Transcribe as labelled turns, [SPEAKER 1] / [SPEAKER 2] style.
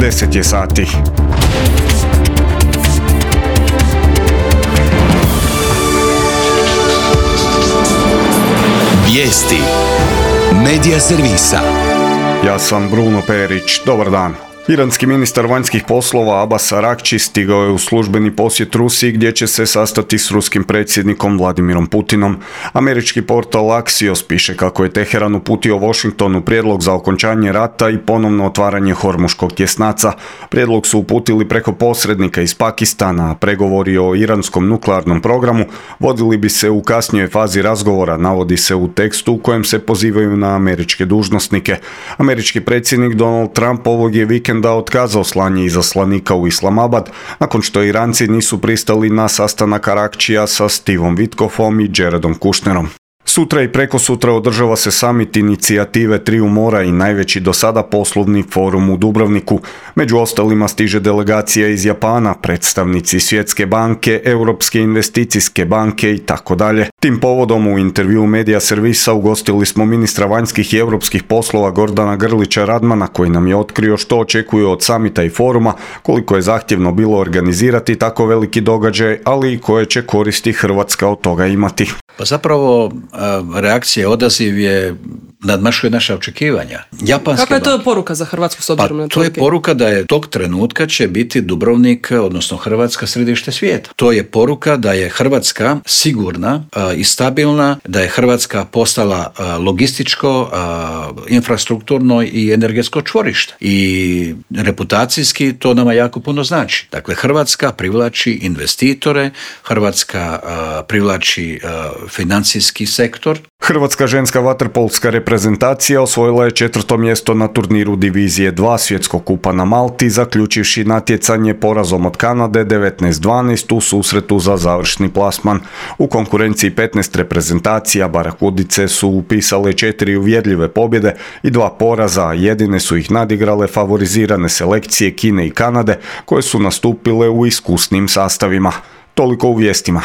[SPEAKER 1] 10 je sati.
[SPEAKER 2] Vijesti Medija servisa.
[SPEAKER 1] Ja sam Bruno Perić. Dobar dan. Iranski ministar vanjskih poslova Abbas Araghči stigao je u službeni posjet Rusiji gdje će se sastati s ruskim predsjednikom Vladimirom Putinom. Američki portal Axios piše kako je Teheran uputio Washingtonu prijedlog za okončanje rata i ponovno otvaranje Hormuškog tjesnaca. Prijedlog su uputili preko posrednika iz Pakistana, a pregovori o iranskom nuklearnom programu vodili bi se u kasnijoj fazi razgovora, navodi se u tekstu u kojem se pozivaju na američke dužnosnike. Američki predsjednik Donald Trump ovog je vikenda otkazao slanje izaslanika u Islamabad nakon što Iranci nisu pristali na sastanak Araghčija sa Stevom Witkoffom i Jaredom Kushnerom. Sutra i prekosutra održava se samit inicijative Triju mora i najveći do sada poslovni forum u Dubrovniku. Među ostalima stiže delegacija iz Japana, predstavnici Svjetske banke, Europske investicijske banke i tako dalje. Tim povodom u intervjuu Medija servisa ugostili smo ministra vanjskih i europskih poslova Gordana Grlića Radmana koji nam je otkrio što očekuju od samita i foruma, koliko je zahtjevno bilo organizirati tako veliki događaj, ali i koje će koristi Hrvatska od toga imati.
[SPEAKER 3] Pa zapravo reakcija, odaziv je nadmašuje naša očekivanja.
[SPEAKER 4] Kakva je to poruka za Hrvatsku s obzirom na to?
[SPEAKER 3] To je poruka da je tog trenutka će biti Dubrovnik, odnosno Hrvatska, središte svijeta. To je poruka da je Hrvatska sigurna i stabilna, da je Hrvatska postala logističko, infrastrukturno i energetsko čvorište. I reputacijski to nama jako puno znači. Dakle, Hrvatska privlači investitore, Hrvatska privlači financijski sektor.
[SPEAKER 1] Hrvatska ženska vaterpolska reprezentacija osvojila je 4. mjesto na turniru Divizije 2 Svjetskog kupa na Malti, zaključivši natjecanje porazom od Kanade 19-12 u susretu za završni plasman. U konkurenciji 15 reprezentacija Barakudice su upisale 4 uvjerljive pobjede i 2 poraza, a jedine su ih nadigrale favorizirane selekcije Kine i Kanade, koje su nastupile u iskusnim sastavima. Toliko u vijestima.